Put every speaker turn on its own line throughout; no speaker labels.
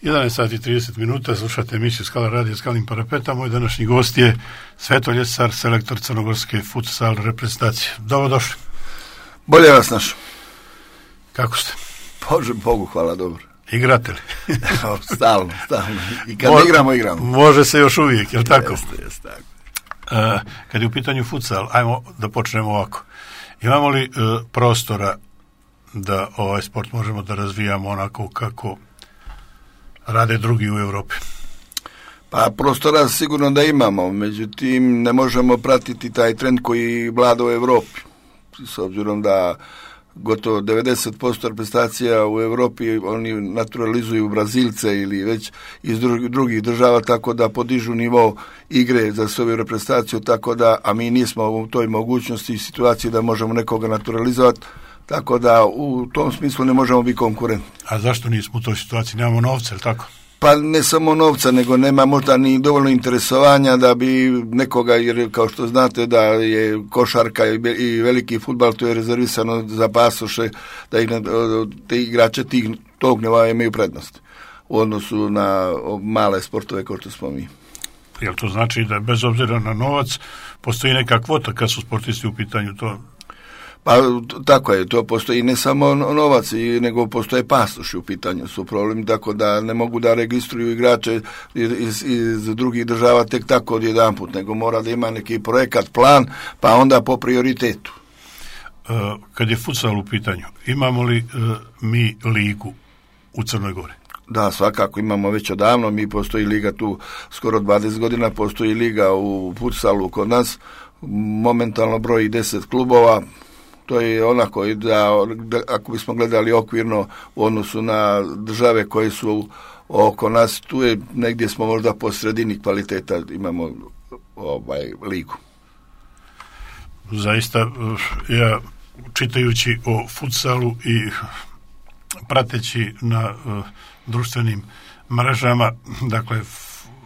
11 sati i 30 minuta, slušate emisiju Skala radio Skalim parapeta. Moj današnji gost je Sveto Ljesar, selektor crnogorske futsal reprezentacije. Dobrodošli.
Bolje vas našao.
Kako ste?
Bože, Bogu hvala, dobro.
Igrate li?
Stalno. I kad igramo.
Može se još uvijek, je li tako?
Jeste, tako.
Kad je u pitanju futsal, ajmo da počnemo ovako. Imamo li prostora da ovaj sport možemo da razvijamo onako kako rade drugi u Europi?
Pa prostora sigurno da imamo, međutim ne možemo pratiti taj trend koji vlada u Europi. S obzirom da gotovo 90% reprezentacija u Europi oni naturalizuju Brazilce ili već iz drugih država, tako da podižu nivo igre za svoju reprezentaciju, tako da, a mi nismo u toj mogućnosti i situaciji da možemo nekoga naturalizovati, tako da u tom smislu ne možemo biti konkurentni.
A zašto nismo u toj situaciji? Nemamo novca, ili tako?
Pa ne samo novca, nego nema možda ni dovoljno interesovanja da bi nekoga, jer kao što znate da je košarka i veliki fudbal, to je rezervisano za pasoše, da te igrače tog nivoa imaju prednost u odnosu na male sportove kao što smo mi.
Jel to znači da bez obzira na novac postoji neka kvota kad su sportisti u pitanju to?
Pa tako je, to postoji ne samo novac, nego postoje pasoši u pitanju su problem, tako da ne mogu da registruju igrače iz drugih država tek tako odjedanput, nego mora da ima neki projekat, plan, pa onda po prioritetu.
Kad je futsal u pitanju, imamo li mi ligu u Crnoj Gori?
Da, svakako imamo već odavno, mi postoji liga tu skoro 20 godina, postoji liga u futsalu kod nas, momentalno broji 10 klubova. To je onako da ako bismo gledali okvirno u odnosu na države koje su oko nas, tu je negdje smo možda po sredini kvaliteta, imamo ligu.
Zaista, ja čitajući o futsalu i prateći na društvenim mrežama, dakle,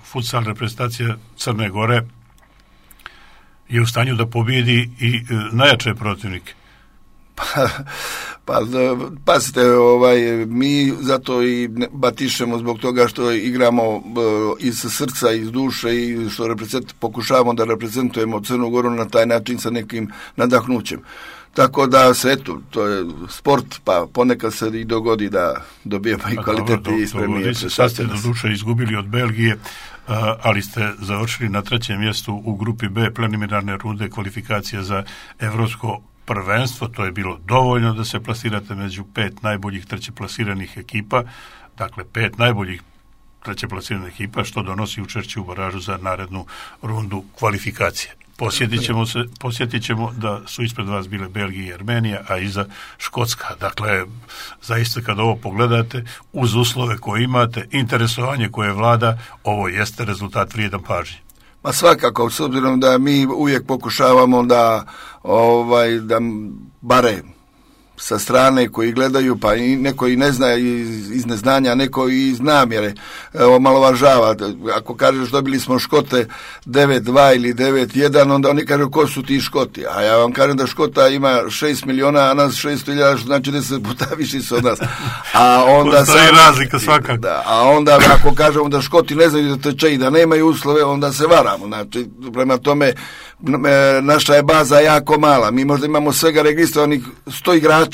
futsal reprezentacija Crne Gore je u stanju da pobijedi i najjače protivnike.
Pa pazite, mi zato i batišemo zbog toga što igramo iz srca, iz duše i što pokušavamo da reprezentujemo Crnu Goru na taj način sa nekim nadahnućem. Tako da se, eto, to je sport, pa ponekad se i dogodi da dobijemo i kvalitete i spremnije.
Sad ste do duše izgubili od Belgije, ali ste završili na 3. mjestu u grupi B preliminarne runde kvalifikacije za evropsko prvenstvo. To je bilo dovoljno da se plasirate među 5 najboljih trećeplasiranih ekipa, dakle 5 najboljih trećeplasiranih ekipa, što donosi učešće u baražu za narednu rundu kvalifikacije. Posjetit ćemo da su ispred vas bile Belgija i Armenija, a iza Škotska. Dakle, zaista kad ovo pogledate, uz uslove koje imate, interesovanje koje vlada, ovo jeste rezultat vrijedan pažnje.
Ma svakako, s obzirom da mi uvijek pokušavamo da bare sa strane koji gledaju, pa i neko i ne zna iz neznanja, neko i iz namjere omalovažava. Ako kažeš dobili smo Škote 9-2 ili 9-1, onda oni kažu ko su ti Škoti. A ja vam kažem da Škota ima 6 miliona, a nas 600.000, što znači 10 puta više su od nas. A onda
postoji razlika svakako.
Da, a onda ako kažemo da Škoti ne znaju da teče i da nemaju uslove, onda se varamo. Znači, prema tome, naša je baza jako mala. Mi možda imamo svega registrovanih 100 igrača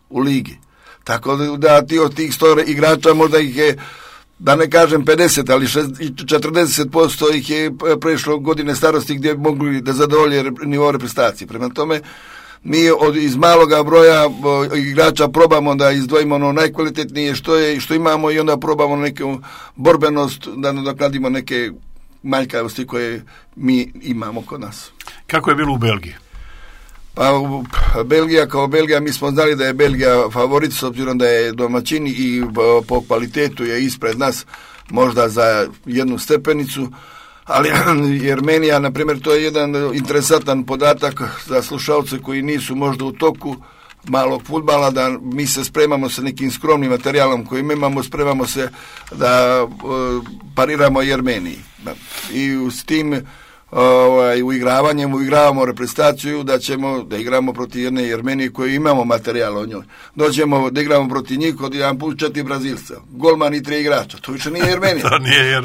u ligi. Tako da od tih 100 igrača možda ih je, da ne kažem 50, ali 40% ih je prešlo godine starosti gdje mogli da zadovolje nivo reprezentacije. Prema tome, mi iz maloga broja igrača probamo da izdvojimo ono najkvalitetnije što imamo i onda probamo neku borbenost da nadoknadimo neke manjkavosti koje mi imamo kod nas.
Kako je bilo u Belgiji?
Pa Belgija kao Belgija, mi smo znali da je Belgija favorit s obzirom da je domaćin i po kvalitetu je ispred nas možda za jednu stepenicu, ali Armenija, na primjer, to je jedan interesantan podatak za slušalce koji nisu možda u toku malog fudbala, da mi se spremamo sa nekim skromnim materijalom koji imamo, spremamo se da pariramo i Armeniji. I s tim uigravamo reprezentaciju da ćemo da igramo protiv jedne Jermenije koju imamo materijal o njoj. Dođemo da igramo protiv njih od jedan put 4 Brazilca, golman i 3 igrača. To više nije Jermenija.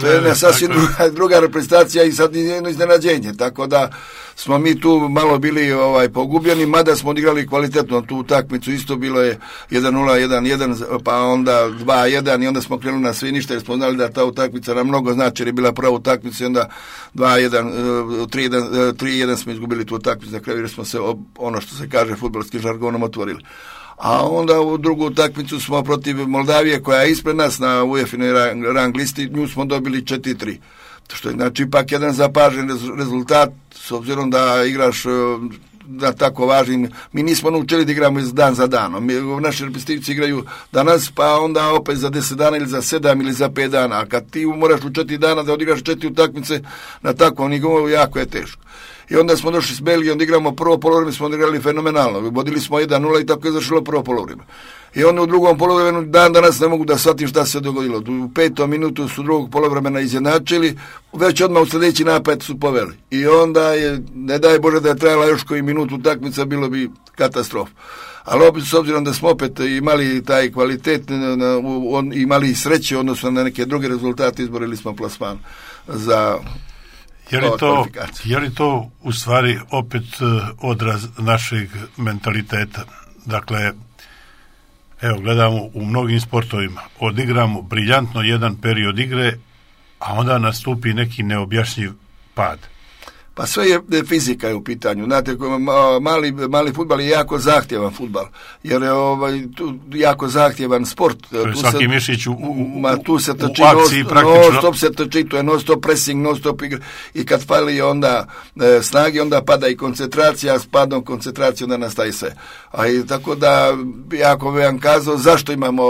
To je jedna sasvim druga reprezentacija i sad jedno iznenađenje. Tako da smo mi tu malo bili pogubljeni, mada smo odigrali kvalitetno tu utakmicu. Isto bilo je 1-0, 1-1, pa onda 2-1 i onda smo krenuli na sve ništa jer smo znali da ta utakmica nam mnogo znači jer je bila prva utakmica i onda 2-1, 3-1 smo izgubili tu utakmicu na kraju jer smo se, ono što se kaže fudbalskim žargonom, otvorili. A onda u drugu utakmicu smo protiv Moldavije koja je ispred nas na UEFA-inoj rang listi, nju smo dobili 4-3. Što je znači ipak jedan zapažen rezultat s obzirom da igraš da tako važnim. Mi nismo naučili da igramo dan za danom. Naši reprezentativci igraju danas, pa onda opet za 10 dana ili za 7 ili za 5 dana. A kad ti moraš u 4 dana da odigraš 4 utakmice na takvom nivou, jako je teško. I onda smo došli s Belgijom da igramo prvo poluvreme, smo odigrali fenomenalno. Vodili smo 1-0 i tako je završilo prvo poluvreme. I onda u drugom poluvremenu dan danas ne mogu da shvatim šta se dogodilo. U 5. minutu su drugog poluvremena izjednačili, već odmah u sljedeći napad su poveli. I onda je, ne daj Bože da je trajala još koji minut utakmica, bilo bi katastrofa. Ali opet s obzirom da smo opet imali taj kvalitet, imali sreće odnosno na neke druge rezultate, izborili smo plasman za
Je li to u stvari opet odraz našeg mentaliteta? Dakle, evo, gledamo u mnogim sportovima, odigramo briljantno jedan period igre, a onda nastupi neki neobjašnjiv pad.
Pa sve je fizika je u pitanju. Znate, mali fudbal je jako zahtjevan fudbal, jer je jako zahtjevan sport.
Svaki mišić
tu se trči,
akciji praktično.
Non-stop se trči, to je non-stop pressing, non-stop igra. I kad fali onda snage, onda pada i koncentracija, s padom koncentracije onda nastaje sve. Tako da, jako bi vam kazao, zašto imamo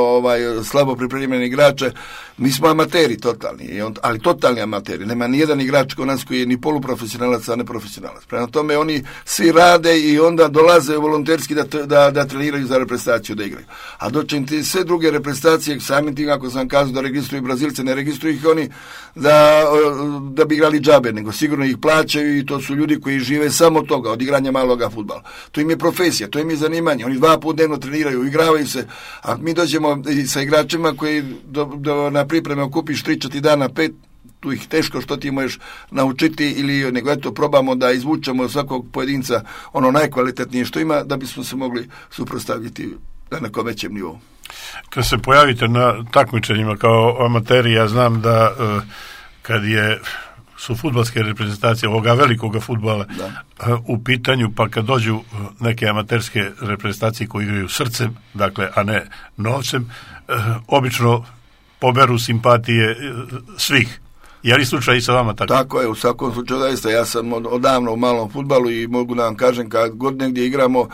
slabo pripremljene igrače. Mi smo amateri totalni, ali totalni amateri. Nema ni jedan igrač kod nas koji je ni poluprofesionalac, a ne profesionalac. Prema tome oni svi rade i onda dolaze volonterski da treniraju za reprezentaciju, da igraju. A dočim ti sve druge reprezentacije, samim tim ako sam kazao da registruju Brazilce, ne registruju ih oni da bi igrali džabe, nego sigurno ih plaćaju i to su ljudi koji žive samo od toga, od igranja maloga fudbala. To im je profesija, to im je zanimanje. Oni 2 puta dnevno treniraju, igravaju se, a mi dođemo sa igračima koji na pripreme okupiš 3-4 dana, 5, tu ih teško što ti možeš naučiti ili nego eto probamo da izvučemo svakog pojedinca ono najkvalitetnije što ima da bismo se mogli suprotstaviti na nekom većem nivou.
Kad se pojavite na takmičenjima kao amateri, ja znam da kad su fudbalske reprezentacije ovoga velikoga fudbala u pitanju, pa kad dođu neke amaterske reprezentacije koji igraju srcem, dakle, a ne novcem, obično poberu simpatije svih. Je li slučaj i sa vama tako?
Tako je, u svakom slučaju zaista. Ja sam odavno u malom fudbalu i mogu da vam kažem kad god negdje igramo,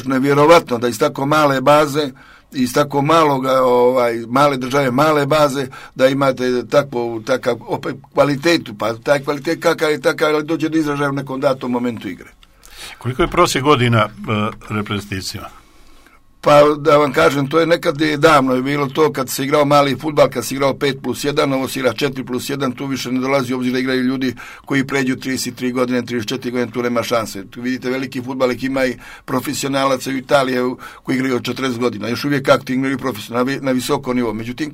nevjerovatno da iz tako male baze, iz tako male države, male baze, da imate takav opet kvalitetu, pa taj kvalitet kakav je takav, ali dođe do izražaja u nekom datom momentu igre.
Koliko je prosjek godina reprezentacijama?
Pa da vam kažem, to je nekad davno je bilo to kad se igrao mali fudbal, kad se igrao 5+1, ovo se igra 4+1, tu više ne dolazi obzir da igraju ljudi koji pređu 33 godine, 34 godine, tu nema šanse. Tu vidite veliki fudbal, ima i profesionalaca u Italiji koji igraju od 40 godina, još uvijek aktivni igraju profesionalno na visoko nivo. Međutim,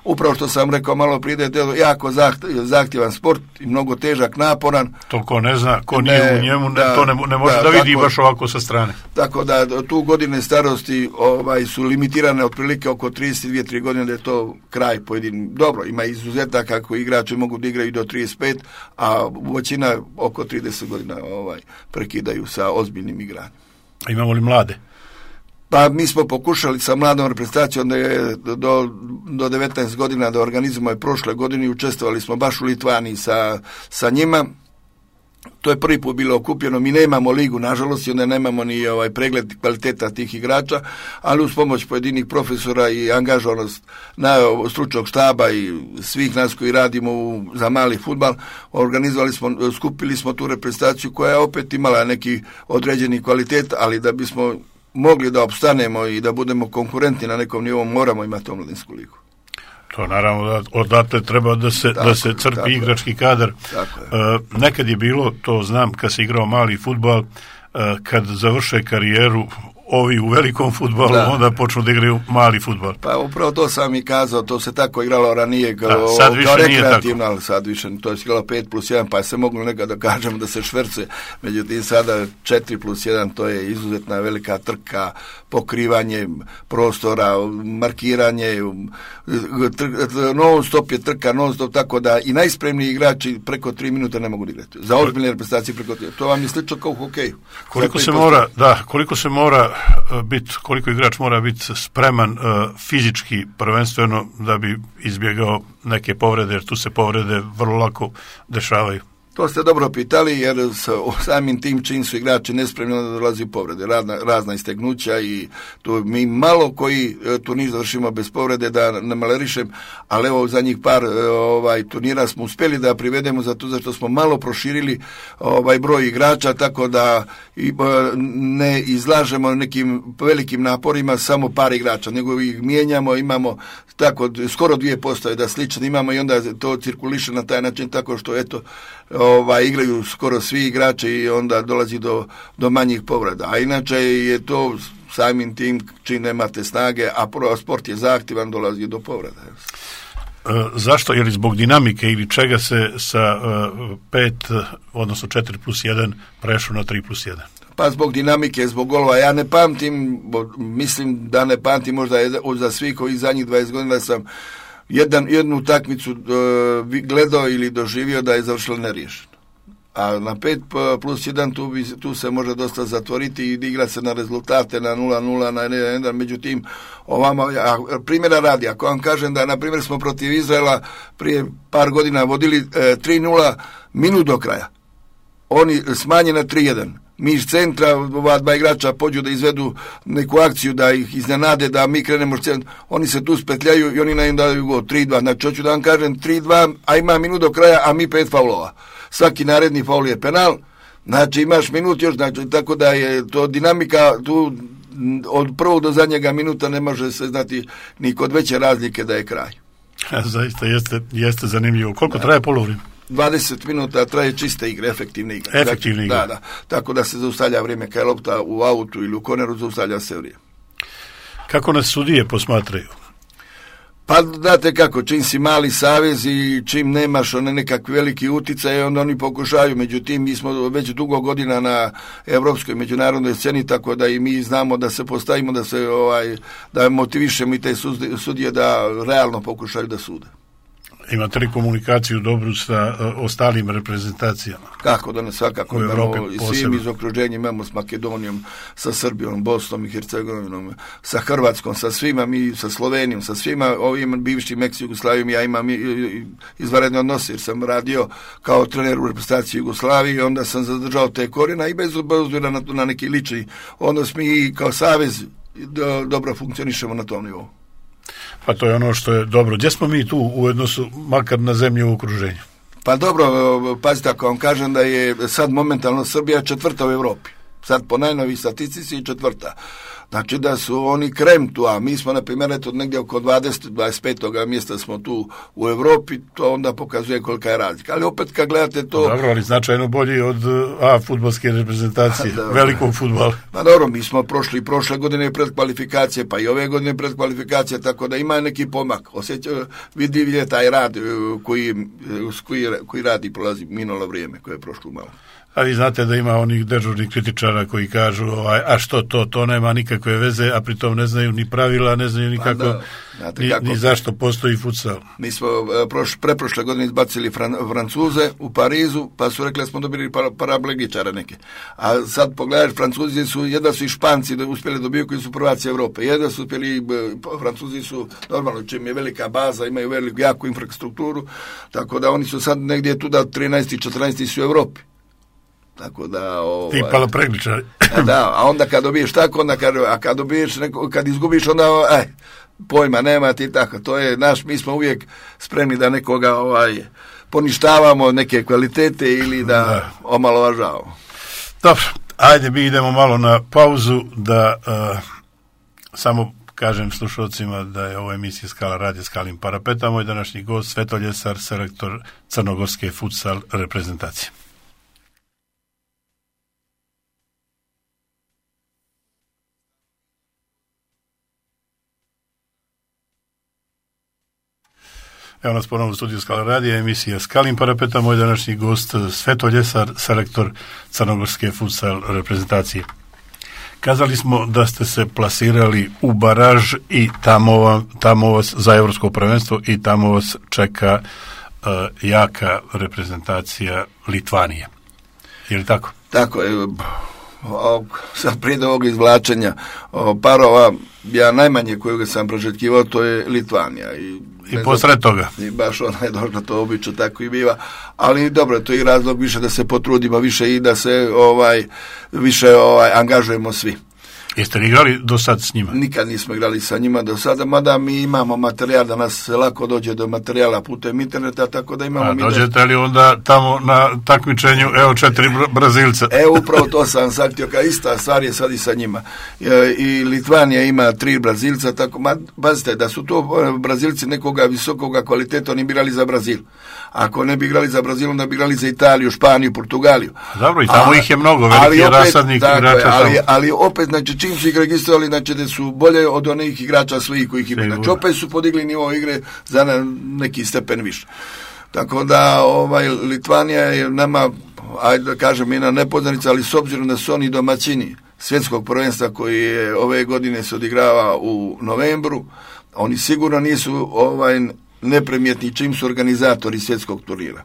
upravo što sam rekao malo prije, da je jako zahtjevan sport i mnogo težak, naporan.
To ko ne zna, ko nije u njemu, to ne može da vidi baš ovako sa strane.
Tako da tu godine starosti su limitirane otprilike oko 32-3 godine, da je to kraj pojedin. Dobro, ima izuzetaka koji igrači mogu da igraju do 35, a većina oko 30 godina prekidaju sa ozbiljnim igranjem.
A imamo li mlade?
Pa mi smo pokušali sa mladom reprezentacijom da je do 19 godina da organizujemo prošle godine i učestvovali smo baš u Litvaniji sa njima. To je prvi put bilo okupljeno, mi nemamo ligu, nažalost, i onda nemamo ni pregled kvaliteta tih igrača, ali uz pomoć pojedinih profesora i angažovanost stručnog štaba i svih nas koji radimo za mali fudbal, skupili smo tu reprezentaciju koja je opet imala neki određeni kvalitet, ali da bismo mogli da opstanemo i da budemo konkurentni na nekom nivou, moramo imati omladinsku ligu.
To naravno da odatle treba da se crpi igrački kadar. Nekad je bilo, to znam, kad se igrao mali fudbal, kad završe karijeru ovi u velikom fudbalu, onda počnu da igraju mali fudbal.
Pa upravo to sam i kazao, to se tako igralo ranije kao rekreativno, ali sad više to je igralo 5+1, pa se moglo nekada da kažemo da se šverce, međutim sada 4+1, to je izuzetna velika trka, pokrivanje prostora, markiranje, non stop je trka, non stop, tako da i najspremniji igrači preko 3 minuta ne mogu igrati. Za ozbiljne reprezentacije preko 3. To vam je slično kao u hokeju.
Koliko igrač mora biti spreman fizički prvenstveno da bi izbjegao neke povrede, jer tu se povrede vrlo lako dešavaju.
To ste dobro pitali, jer samim tim čim su igrači nespremni, onda dolazi povrede, razna istegnuća i tu mi malo koji turnir završimo bez povrede, da ne malerišem, ali evo zadnjih par turnira smo uspjeli da privedemo zato što smo malo proširili broj igrača, tako da ne izlažemo nekim velikim naporima samo par igrača, nego ih mijenjamo, imamo tako skoro 2 postave da slično imamo i onda to cirkuliše na taj način tako što eto igraju skoro svi igrači i onda dolazi do manjih povreda. A inače je to samim tim čim nemate snage, a sport je zahtjevan, dolazi do povreda.
Zašto? Je li zbog dinamike ili čega se sa 5, odnosno 4+1 prešlo na 3+1?
Pa zbog dinamike, zbog golova. Ja ne pamtim, mislim da ne pamtim možda za svih ovih zadnjih 20 godina sam jednu utakmicu gledao ili doživio da je završila neriješeno. A na 5+1 tu se može dosta zatvoriti i igra se na rezultate na 0-0, na 1-1, međutim primjera radi, ako vam kažem da na primjer smo protiv Izraela prije par godina vodili 3-0 minut do kraja. Oni smanje na 3-1. Mi iz centra, ova 2 igrača pođu da izvedu neku akciju, da ih iznenade, da mi krenemo oni se tu spetljaju i oni nam daju gol 3-2. Znači, hoću da vam kažem 3-2, a ima minut do kraja, a mi 5 faulova. Svaki naredni faul je penal, znači imaš minut još, znači, tako da je to dinamika tu od prvog do zadnjega minuta ne može se znati ni kod veće razlike da je kraj.
Zaista jeste zanimljivo. Koliko traje polovrijeme?
20 minuta traje čiste igre, efektivne igre. Da. Tako da se zaustavlja vrijeme kad je lopta u autu ili u koneru, zaustavlja se vrijeme.
Kako nas sudije posmatraju?
Pa znate kako, čim si mali savez i čim nemaš nekakvi veliki uticaj, onda oni pokušaju, međutim mi smo već dugo godina na evropskoj međunarodnoj sceni, tako da i mi znamo da se postavimo, da motivišemo i te sudije da realno pokušaju da sude.
Imate li komunikaciju dobru sa ostalim reprezentacijama?
Kako da ne, svakako imamo i svim iz okruženja, imamo s Makedonijom, sa Srbijom, Bosnom i Hercegovinom, sa Hrvatskom, sa svima, mi sa Slovenijom, sa svima ovim bivšim ex-Jugoslavijom. Ja imam izvanredne odnose jer sam radio kao trener u reprezentaciji Jugoslavije i onda sam zadržao te korijena i bez obzira na neki lični odnos mi kao savez dobro funkcionišemo na tom nivou.
Pa to je ono što je dobro. Gdje smo mi tu u odnosu, makar na zemlju u okruženju?
Pa dobro, pazite, ako vam kažem da je sad momentalno Srbija 4. u Evropi. Sad po najnovih statistici 4. Znači da su oni krem tu, a mi smo na primjer negdje oko 25. mjesta smo tu u Evropi, to onda pokazuje kolika je razlika. Ali opet kad gledate to...
Dobro, ali značajno bolji od fudbalske reprezentacije, velikog fudbala.
Pa dobro, mi smo prošle godine predkvalifikacije, pa i ove godine predkvalifikacije, tako da ima neki pomak. Vidljiv taj rad koji radi prolazi minulo vrijeme koje je prošlo malo.
A vi znate da ima onih dežurnih kritičara koji kažu a što to nema nikakve veze, a pritom ne znaju ni pravila, ne znaju nikako ni zašto postoji futsal.
Mi smo preprošle godine izbacili Francuze u Parizu, pa su rekli da smo dobili paraplegičara neke. A sad pogledaš, Francuzi su, jedva su i Španci uspjeli dobiju koji su prvaci Evrope. Jedva su uspjeli, Francuzi su normalno, čim je velika baza, imaju veliku, jaku infrastrukturu, tako da oni su sad negdje tu da 13. i 14. su u Evropi. Tako da
ti palapregličari.
Da, a onda kad dobiješ tako, a kad dobiješ kad izgubiš onda pojma nema ti tako. To je mi smo uvijek spremni da nekoga poništavamo neke kvalitete ili da omalovažavamo. Dobro,
ajde mi idemo malo na pauzu da samo kažem slušalcima da je ovo emisija Skala radio Skalim parapeta. Moj današnji gost Svetolj Esar, selektor crnogorske futsal reprezentacije. Evo nas ponovno u studiju Skala radija, emisija Skalim parapeta, moj današnji gost Svetolj Esar, selektor crnogorske futsal reprezentacije. Kazali smo da ste se plasirali u baraž i tamo vas za evropsko prvenstvo i tamo vas čeka jaka reprezentacija Litvanije. Je li tako?
Tako je. Sad prije ovog izvlačenja parova, ja najmanje kojeg sam prožetkivao, to je Litvanija.
I posred toga.
I baš ona je došla, to obično tako i biva. Ali dobro, to je razlog više da se potrudimo više i da se više angažujemo svi.
Jeste li igrali do sad s njima?
Nikad nismo igrali sa njima do sada, mada mi imamo materijal, da nas lako dođe do materijala putem interneta, tako da imamo...
A dođete li onda tamo na takmičenju, evo 4 Brazilca?
Upravo to sam saktio, kao ista stvar je sad i sa njima. I Litvanija ima 3 Brazilca, tako, pazite, da su to Brazilci nekoga visokoga kvaliteta, oni bi igrali za Brazil. Ako ne bi igrali za Brazil, onda bi igrali za Italiju, Španiju, Portugaliju.
Dobro, i tamo ih je mnogo, veliki rasadnik igrača.
Ali opet, znači, čim su ih registrovali, znači da su bolje od onih igrača svojih kojih ima. Znači, opet su podigli nivo igre za neki stepen više. Tako da, Litvanija je nama, ajde da kažem, jedna nepoznanica, ali s obzirom da su oni domaćini svjetskog prvenstva koji je ove godine se odigrava u novembru, oni sigurno nisu neprimjetni čim su organizatori svjetskog turnira.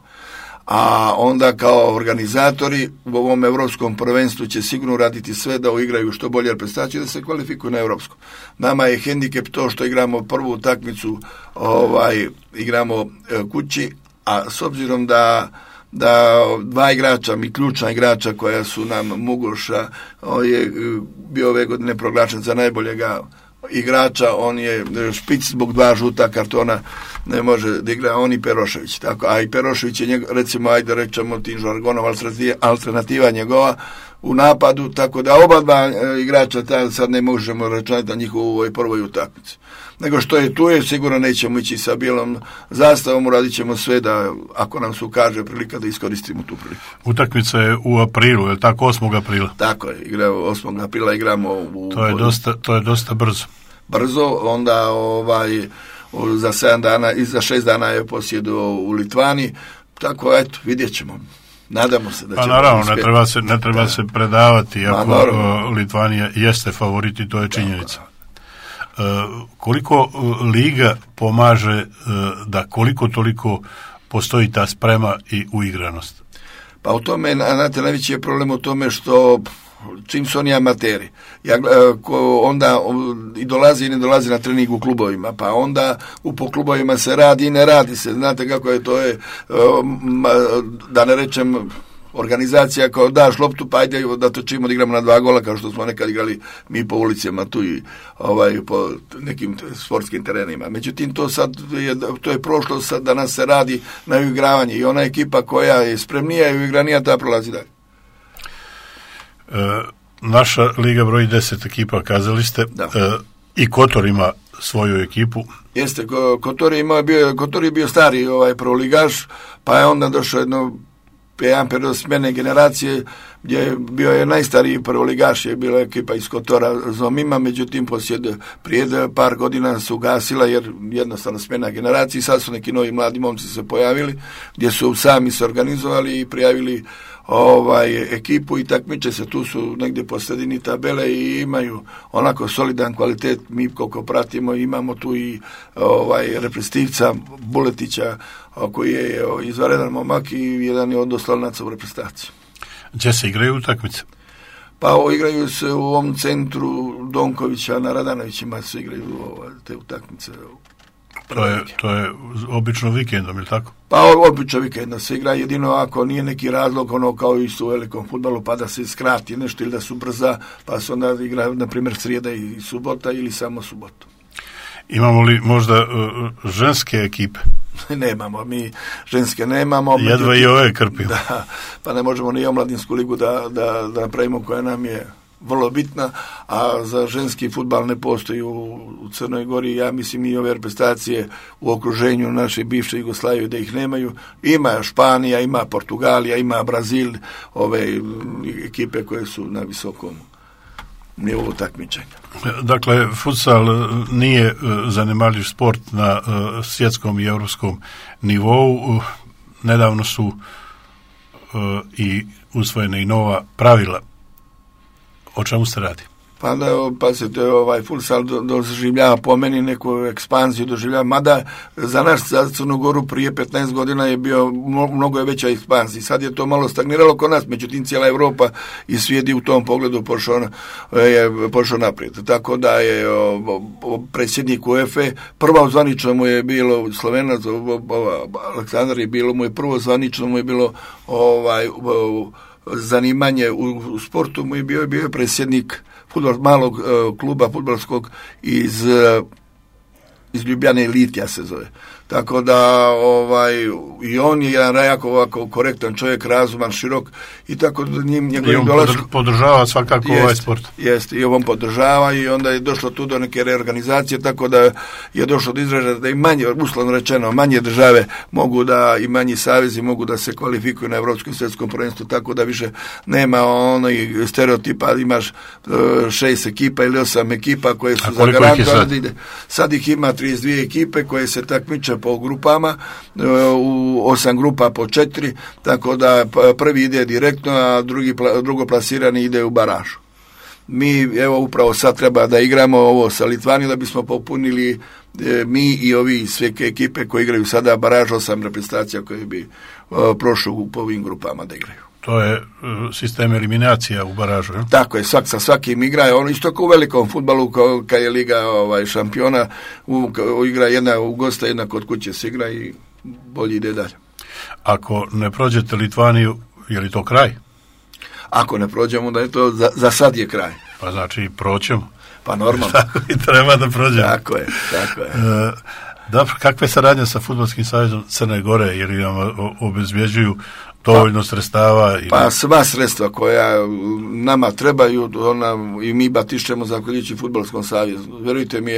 A onda kao organizatori u ovom evropskom prvenstvu će sigurno raditi sve da igraju što bolje reprezentacije, da se kvalifikuju na evropsko. Nama je hendikep to što igramo prvu utakmicu, igramo kući, a s obzirom da 2 igrača, mi ključna igrača koja su nam Mugoša, je bio ove godine proglašen za najboljega igrača, on je špic zbog 2 žuta kartona, ne može da igra, on i Perošević. Tako, a i Perošević je recimo, ajde rečemo tim žargonom, alternativa njegova u napadu, tako da oba 2 igrača sad ne možemo računati na njihovu ovoj prvoj utakmici. Nego što je tu je, sigurno nećemo ići sa bijelom zastavom, radit ćemo sve da, ako nam se ukaže prilika, da iskoristimo tu priliku.
Utakmica je u aprilu, je li tako, 8. aprila?
Tako je, 8. aprila igramo u...
To je dosta brzo.
Brzo, onda za 7 dana i za 6 dana je posjedu u Litvani, tako eto, vidjet ćemo. Nadamo se da će...
Pa naravno, ne treba se predavati, ako Litvanija jeste favorit i to je činjenica. Koliko liga pomaže da koliko toliko postoji ta sprema i uigranost?
Pa u tome, znate, najveći je problem u tome što čim su oni amateri, onda i dolazi i ne dolazi na trening u klubovima, pa onda po klubovima se radi i ne radi se. Znate kako je to, da ne rečem, organizacija kao daš loptu, pa ajde da točimo da igramo na 2 gola, kao što smo nekad igrali mi po ulicama tu i po nekim sportskim terenima. Međutim, to je prošlo, sad danas se radi na uigravanje i ona ekipa koja je spremnija i uigranija, ta prolazi dalje.
Naša liga broji 10 ekipa, kazali ste, i Kotor ima svoju ekipu.
Jeste, Kotor je bio stari prvoligaš, pa je onda došao jedan period smjene generacije gdje je bio najstariji prvoligaš, je bila ekipa iz Kotora Zomima, međutim prije par godina su gasila jer jednostavno smjena generacije, sad su neki novi mladi momci se pojavili gdje su sami se organizovali i prijavili ekipu i takmiče se, tu su negdje po sredini tabele i imaju onako solidan kvalitet. Mi koliko pratimo imamo tu i reprezentativca Buletića koji je izvanredan momak i jedan je od oslonaca u reprezentaciji.
Gdje se igraju utakmice?
Pa igraju se u ovom centru Donkovića na Radanovićima, se igraju te utakmice.
To je obično vikendom, ili tako?
Pa obično vikendom se igra, jedino ako nije neki razlog, kao isto u velikom fudbalu, pa da se skrati nešto ili da su brza, pa se onda igra, na primjer, srijeda i subota ili samo subotu.
Imamo li možda ženske ekipe?
Nemamo, mi ženske nemamo.
Jedva i ove krpimo.
Da, pa ne možemo ni omladinsku ligu da napravimo koja nam je vrlo bitna, a za ženski fudbal ne postoji u Crnoj Gori. Ja mislim i ove reprezentacije u okruženju naše bivše Jugoslavije da ih nemaju. Ima Španija, ima Portugalija, ima Brazil, ove ekipe koje su na visokom nivou takmičenja.
Dakle, futsal nije zanemarljiv sport na svjetskom i europskom nivou. Nedavno su i usvojene i nova pravila. O čemu se radi?
Pa se to futsal doživljava po meni neku ekspanziju doživljava, mada za nas, za Crnu Goru prije 15 godina je bio mnogo je veća ekspanzija. Sad je to malo stagniralo kod nas, međutim cijela Europa i svijet u tom pogledu pošao naprijed. Tako da je predsjednik UEFA, prvo zvanično mu je bilo Slovenac, Aleksandar je bilo, mu je prvo zvanično mu je bilo zanimanje u sportu, mu je bio predsjednik malog kluba fudbalskog iz Ljubljane, Elitija se zove. Tako da i on je jedan jako ovako korektan čovjek, razuman, širok i tako da njegovim dolaskom
podržava svakako ovaj sport.
Jeste, i on podržava i onda je došlo tu do neke reorganizacije, tako da je došlo do izražaja da i manje, uslovno rečeno, manje države mogu da i manji savezi mogu da se kvalifikuju na Evropskom svjetskom prvenstvu, tako da više nema onaj stereotipa, imaš 6 ekipa ili 8 ekipa koje su zagarantovane. Sad ih ima 32 ekipe koje se takmiče po grupama, u 8 grupa po 4, tako da prvi ide direktno, a drugo plasirani ide u baražu. Mi, evo, upravo sad treba da igramo ovo sa Litvanijom da bismo popunili mi i ovi sve ekipe koje igraju sada baraž, 8 reprezentacija koje bi prošli po ovim grupama da igraju.
To je sistem eliminacija u baražu, je?
Tako je, sa svakim igra, ono isto kao u velikom fudbalu, kad je Liga šampiona, igra jedna u gosta, jedna kod kuće se igra i bolje ide dalje.
Ako ne prođete Litvaniju, je li to kraj?
Ako ne prođemo, da je to za sad je kraj.
Pa znači proćemo.
Pa normalno.
Tako i treba da prođemo.
Tako je.
Dobro, kakva je saradnja sa Fudbalskim savezom Crne Gore, jer vam obezbjeđuju dovoljno sredstava?
Pa sva sredstva koja nama trebaju, i mi batišćemo zahvaljujući Fudbalskom savezu. Vjerujte mi,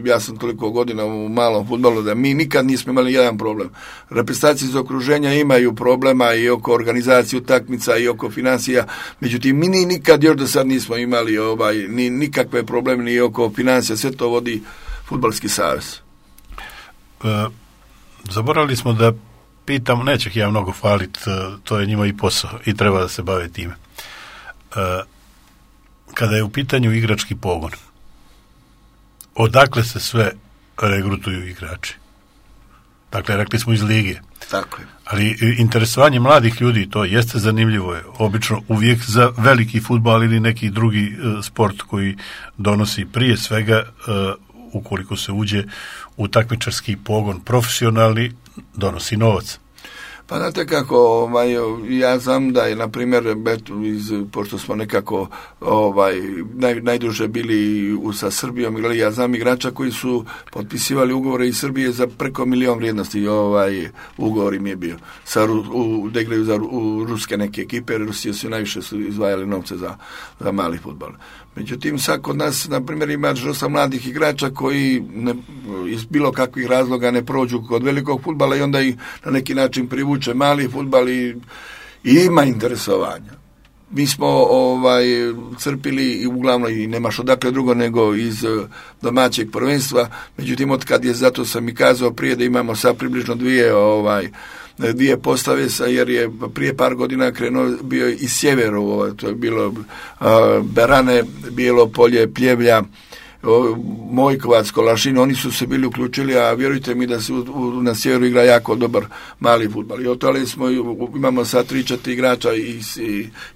ja sam toliko godina u malom fudbalu da mi nikad nismo imali jedan problem. Reprezentacije iz okruženja imaju problema i oko organizacije utakmica i oko financija, međutim mi nikad još do sad nismo imali ni nikakve probleme ni oko financija, sve to vodi Fudbalski savez.
Zaboravili smo da pitam, neću ih ja mnogo hvaliti, to je njima i posao i treba da se bave time. Kada je u pitanju igrački pogon, odakle se sve regrutuju igrači? Dakle, rekli smo iz lige.
Tako je.
Ali interesovanje mladih ljudi, to jeste zanimljivo, je obično uvijek za veliki fudbal ili neki drugi sport koji donosi prije svega, ukoliko se uđe u takmičarski pogon profesionalni, donosi novac.
Pa znate kako, ja znam da je, na primjer, pošto smo nekako najduže bili sa Srbijom, ja znam igrača koji su potpisivali ugovore iz Srbije za preko 1 milion vrijednosti, ugovor im je bio. Da igraju za ruske neke ekipe, Rusije su najviše izdvajali novce za mali fudbal. Međutim, sad kod nas, na primjer, ima 8 mladih igrača koji iz bilo kakvih razloga ne prođu kod velikog fudbala i onda ih na neki način privuče mali fudbal i ima interesovanja. Mi smo crpili i uglavnom i nemaš odakle drugo nego iz domaćeg prvenstva, međutim, od kad je, zato sam i kazao prije da imamo sad približno dvije postave, jer je prije par godina krenuo bio i sjeveru, to je bilo Berane, Bijelo polje, Pljevlja, Mojkovac, Kolašin, oni su se bili uključili, a vjerujte mi da se na sjeveru igra jako dobar mali fudbal. I otali imamo sad 3-4 igrača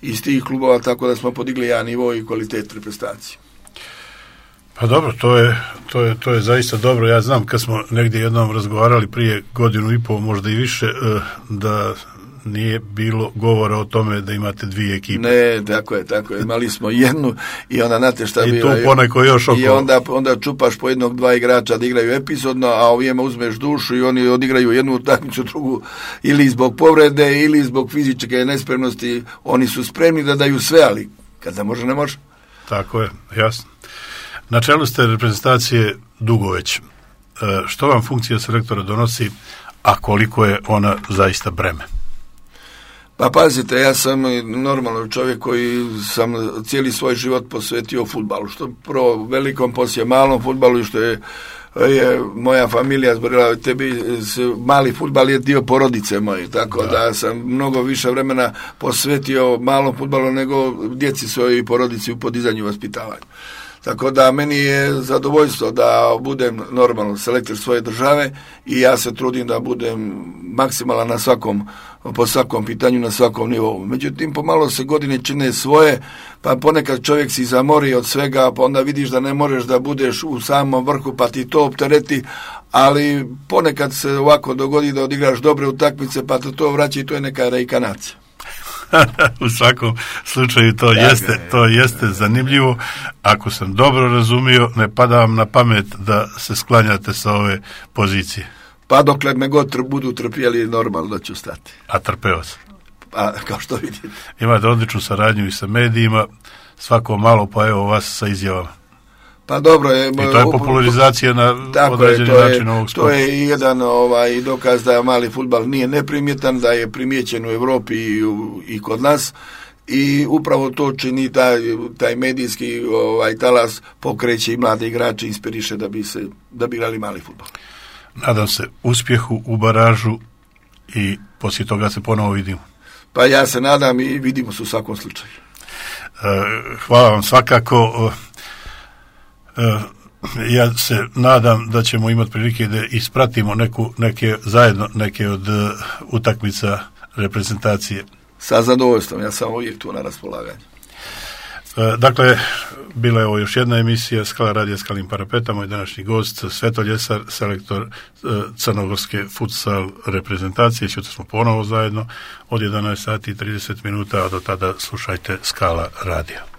iz tih klubova, tako da smo podigli jedan nivo i kvalitet reprezentacije.
Pa dobro, to je zaista dobro. Ja znam kad smo negdje jednom razgovarali prije 1.5 godina, možda i više, da nije bilo govora o tome da imate 2 ekipe.
Ne, tako je. Imali smo jednu i onda znate šta
i tu poneko još oko.
I onda čupaš po 1-2 igrača da igraju epizodno, a ovijema uzmeš dušu i oni odigraju jednu utakmicu, drugu, ili zbog povrede ili zbog fizičke nespremnosti. Oni su spremni da daju sve, ali kad ne može, ne može.
Tako je, jasno. Na čelu ste reprezentacije dugo već. Što vam funkcija selektora donosi, a koliko je ona zaista breme?
Pa pazite, ja sam normalno čovjek koji sam cijeli svoj život posvetio fudbalu, što prvo velikom, poslije malom fudbalu, i što je moja familija zborila, mali fudbal je dio porodice moje, tako da sam mnogo više vremena posvetio malom fudbalu nego djeci svojoj i porodici u podizanju i vaspitavanju. Tako da meni je zadovoljstvo da budem normalno selektor svoje države i ja se trudim da budem maksimalan po svakom pitanju, na svakom nivou. Međutim, pomalo se godine čine svoje, pa ponekad čovjek si zamori od svega, pa onda vidiš da ne možeš da budeš u samom vrhu, pa ti to optereti, ali ponekad se ovako dogodi da odigraš dobre utakmice, pa to vraća i to je neka reikanacija.
U svakom slučaju to jeste zanimljivo. Ako sam dobro razumio, ne pada vam na pamet da se sklanjate sa ove pozicije.
Pa dokle me god budu trpjeli, normalno da ću stati.
A trpeo sam.
Pa, kao što vidite.
Imate odličnu saradnju i sa medijima, svako malo pa evo vas sa izjavama.
Pa dobro je.
I to je popularizacija na određeni način ovog sporta.
To je jedan dokaz da mali fudbal nije neprimjetan, da je primijećen u Europi i kod nas, i upravo to čini taj medijski talas, pokreće i mlade igrače, inspiriše da bi igrali mali fudbal.
Nadam se uspjehu u baražu i poslije toga se ponovo vidimo.
Pa ja se nadam i vidimo se u svakom slučaju.
Hvala vam svakako. Ja se nadam da ćemo imati prilike da ispratimo neke od utakmica reprezentacije. Sa
zadovoljstvom, ja sam uvijek tu na raspolaganju.
Dakle, bila je ovo još jedna emisija Skala radija Skalim parapeta. Moj današnji gost Sveto Ljesar, selektor crnogorske futsal reprezentacije. Sutra smo ponovo zajedno od 11 sati i 30 minuta, a do tada slušajte Skala radija.